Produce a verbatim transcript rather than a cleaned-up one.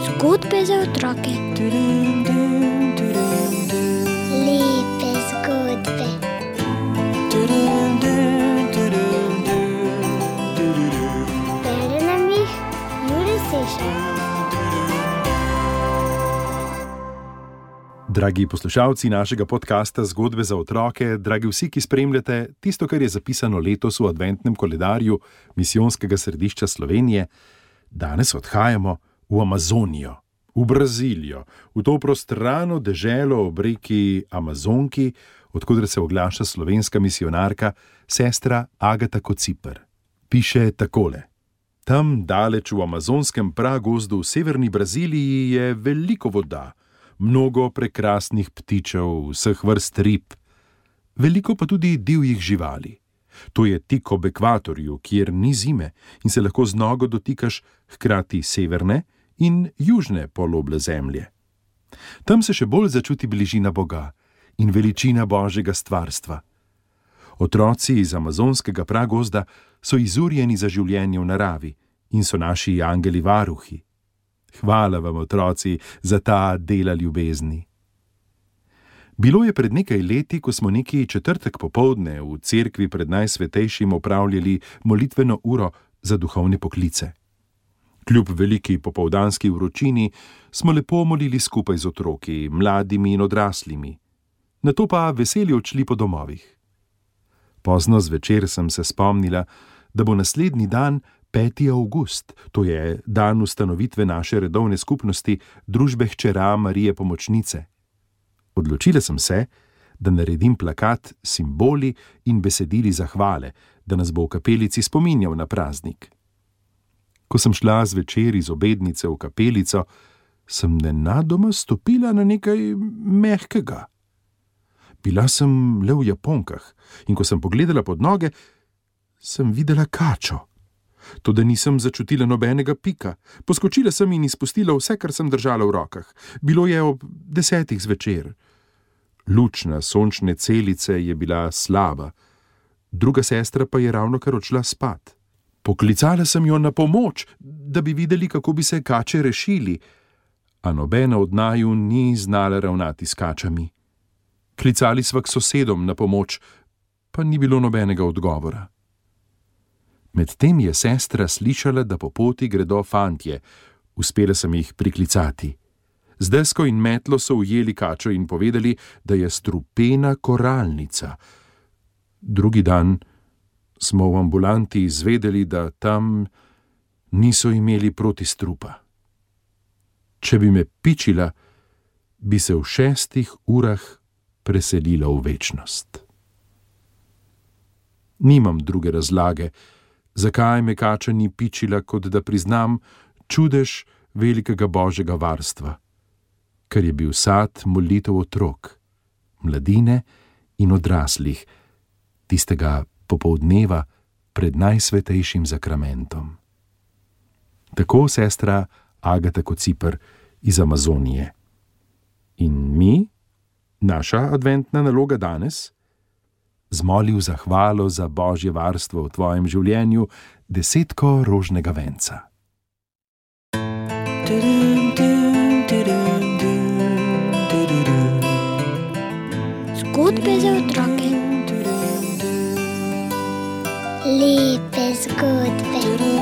Zgodbe za otroke. Lepe zgodbe. Bere nam jih Jure Sešar. Dragi poslušalci našega podcasta Zgodbe za otroke, dragi vsi, ki spremljate tisto, kar je zapisano letos v adventnem koledarju Misijonskega središča Slovenije, danes odhajamo v Amazonijo, v Brazilijo, v to prostrano deželo ob reki Amazonki, odkudar se oglaša slovenska misijonarka, sestra Agata Kociper. Piše takole: tam, daleč v amazonskem pragozdu v severni Braziliji, je veliko voda, mnogo prekrasnih ptičev, vseh vrst rib, veliko pa tudi divjih živali. To je tik ob ekvatorju, kjer ni zime in se lahko z nogo dotikaš hkrati severne in južne poloble zemlje. Tam se še bolj začuti bližina Boga in veličina Božjega stvarstva. Otroci iz amazonskega pragozda so izurjeni za življenje v naravi in so naši angeli varuhi. Hvala vam, otroci, za ta dela ljubezni. Bilo je pred nekaj leti, ko smo neki četrtek popoldne v cerkvi pred Najsvetejšim opravljali molitveno uro za duhovne poklice. Kljub veliki popoldanski vročini smo lepo molili skupaj z otroki, mladimi in odraslimi. Nato pa veseli odšli po domovih. Pozno zvečer sem se spomnila, da bo naslednji dan peti avgust, to je dan ustanovitve naše redovne skupnosti Družbe hčera Marije Pomočnice. Odločila sem se, da naredim plakat s simboli in besedili zahvale, da nas bo v kapelici spominjal na praznik. Ko sem šla zvečer iz obednice v kapelico, sem nenadoma stopila na nekaj mehkega. Bila sem le v japonkah in ko sem pogledala pod noge, sem videla kačo. Toda nisem začutila nobenega pika. Poskočila sem in izpustila vse, kar sem držala v rokah. Bilo je ob desetih zvečer. Luč na sončne celice je bila slaba, druga sestra pa je ravnokar odšla spat. Poklicala sem jo na pomoč, da bi videli, kako bi se kače rešili, a nobena od naju ni znala ravnati s kačami. Klicali sva k sosedom na pomoč, pa ni bilo nobenega odgovora. Medtem je sestra slišala, da po poti gredo fantje. Uspela sem jih priklicati. Z desko in metlo so ujeli kačo in povedali, da je strupena koralnica. Drugi dan smo v ambulanti izvedeli, da tam niso imeli protistrupa. Če bi me pičila, bi se v šestih urah preselila v večnost. Nimam druge razlage, zakaj me kača ni pičila, kot da priznam čudež velikega Božjega varstva, ker je bil sad molitev otrok, mladine in odraslih, tistega popoldneva pred Najsvetejšim zakramentom. Tako sestra Agata Kociper iz Amazonije. In mi, naša adventna naloga danes, zmoli v zahvalo za Božje varstvo v tvojem življenju desetko rožnega venca. Zgodbe za otroke. Lepe zgodbe.